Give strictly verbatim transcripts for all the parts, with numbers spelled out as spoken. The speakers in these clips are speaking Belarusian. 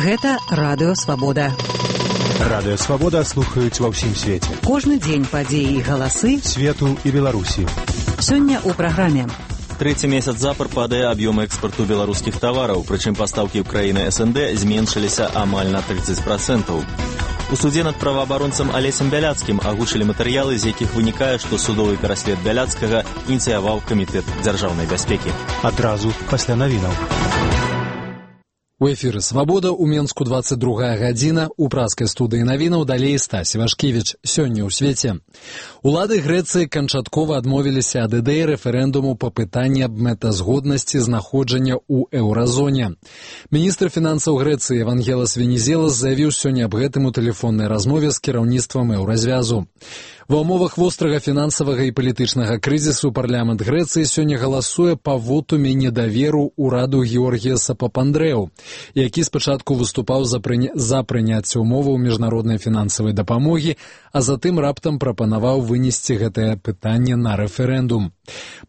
Гэта Радыё Свабода. Радыё Свабода слухаюць ва ўсім свеце. Кожны дзень падзеі і галасы свету і Беларусі. Сёння ў праграме. Трэці месяц запар падае аб'ём экспарту беларускіх тавараў, прычым пастаўкі ў краіны эс эн дэ зменшыліся амаль на трыццаць працэнтаў. У судзе над праваабаронцам Алесем Бяляцкім агучылі матэрыялы, з якіх вынікае, што судовы пераслед Бяляцкага ініцыяваў камітэт дзяржаўнай бяспекі. Адразу пасля навінаў. У эфіры «Свабода» у Менску двадцать другая гадзіна, у праскай студыі навінаў далей Стась Івашкевіч. Сёння ў свеце. Улады Грэцыі канчаткова адмовіліся ад ідэі рэферэндуму па пытанні аб мэтазгоднасці знаходжання ў еўразоне. Міністр фінансаў Грэцыі Евангелас Венізелас заявіў сёння аб гэтым у тэлефоннай размове з кіраўніцтвам еўразвязу. Ва ўмовах вострага фінансавага і палітычнага крызісу парламент Грэцыі сёння галасуе па вотуме недаверу ўраду Георгіяса Папандрэу, які спачатку выступаў за, прыня... за прыняцце ўмоваў міжнароднай фінансавай дапамогі, а затым раптам прапанаваў вынесці гэтае пытанне на рэферэндум.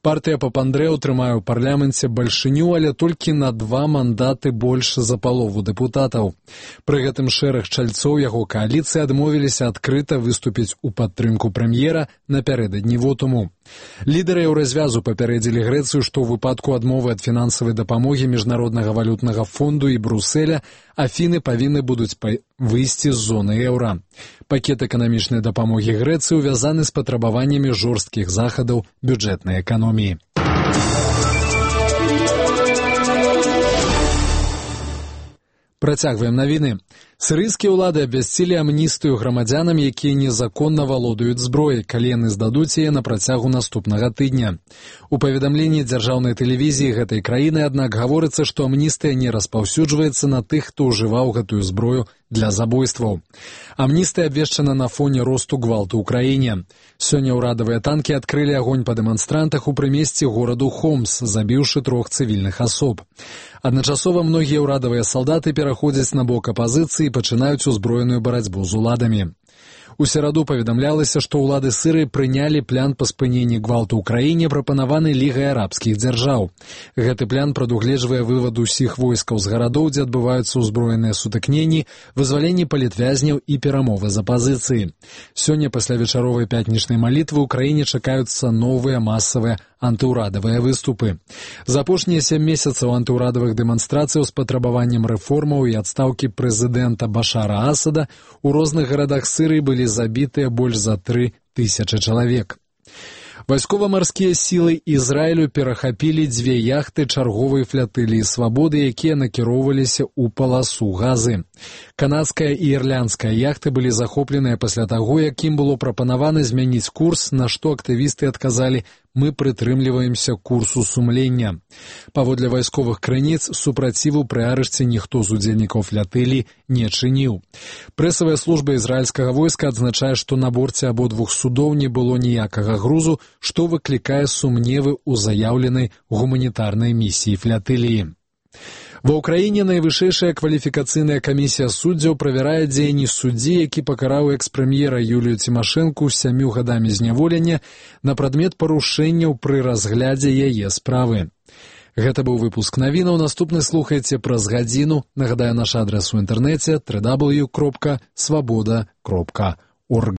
Партыя Папандрэу трымае ў парламенце бальшыню, але толькі на два мандаты больш за палову дэпутатаў. Пры гэтым шэраг чальцоў яго кааліцыі адмовіліся адкрыта выступіць у падтрымку прэм'ера напярэдадні вотуму. Лідары еўразвязу папярэдзілі Грэцыю, што ў выпадку адмовы ад фінансавай дапамогі Міжнароднага валютнага фонду і Брусэля Афіны павінны будуць выйсці з зоны еўра. Пакет эканамічнай дапамогі Грэцыі увязаны з патрабаваннямі жорсткіх захадаў бюджэтнай эканоміі. Працягваем навіны. Сірыйскія ўлады абвясцілі амністыю грамадзянам, якія незаконна валодаюць зброяй, калі яны здадуць яе на працягу наступнага тыдня. У паведамленні дзяржаўнай тэлевізіі гэтай краіны, аднак, гаворыцца, што амністыя не распаўсюджваецца на тых, хто ўжываў гэтую зброю для забойстваў. Амністыя абвешчана на фоне росту гвалту ў краіне. Сёння ўрадавыя танкі адкрылі агонь па дэманстрантах у прымесці гораду Хомс, забіўшы трох цывільных асоб. Адначасова многія ўрадавыя салдаты пераходзяць на бок апазіцыі і пачынаюць узброеную барацьбу з уладамі. У сераду паведамлялася, што ўлады Сірыі прынялі план па спыненні гвалту ў краіне, прапанаваны Лігай арабскіх дзяржаў. Гэты план прадугледжвае вывад усіх войскаў з гарадоў, дзе адбываюцца ўзброеныя сутыкненні, вызваленне палітвязняў і перамовы з апазіцыі. Сёння пасля вечаровай пятнічнай малітвы ў краіне чакаюцца новыя масавыя антыўрадавыя выступы. За апошнія сем месяцаў антыўрадавых дэманстрацыяў з патрабаваннем рэформаў і адстаўкі прэзідэнта Башара Асада ў розных гарадах Сірыі былі забітыя больш за тры тысячы чалавек. Вайскова-марскія сілы Ізраілю перахапілі дзве яхты чарговай флатыліі «Свабоды», якія накіроўваліся ў паласу Газы. Канадская і ірландская яхты былі захопленыя пасля таго, як ім было прапанавана змяніць курс, на што актывісты адказалі: «Мы прытрымліваемся курсу сумлення». Паводле вайсковых крыніц, супраціву пры арышце ніхто з удзельнікаў флатыліі не чыніў. Прэсавая служба ізраільскага войска адзначае, што на борце абодвух судоў не было ніякага грузу, што выклікае сумневы ў заяўленай гуманітарнай місіі флатыліі. Ва ўкраіне найвышэйшая кваліфікацыйная камісія суддзяў правярае дзеянні суддзі, які пакараў экс-прэм'ера Юлію Цімашэнку сямю гадамі зняволення на прадмет парушэнняў пры разглядзе яе справы. Гэта быў выпуск навінаў. Наступны слухайце праз гадзіну. Нагадаю, наш адрас у інтэрнэце дабл ю дабл ю дабл ю кропка свабода кропка орг.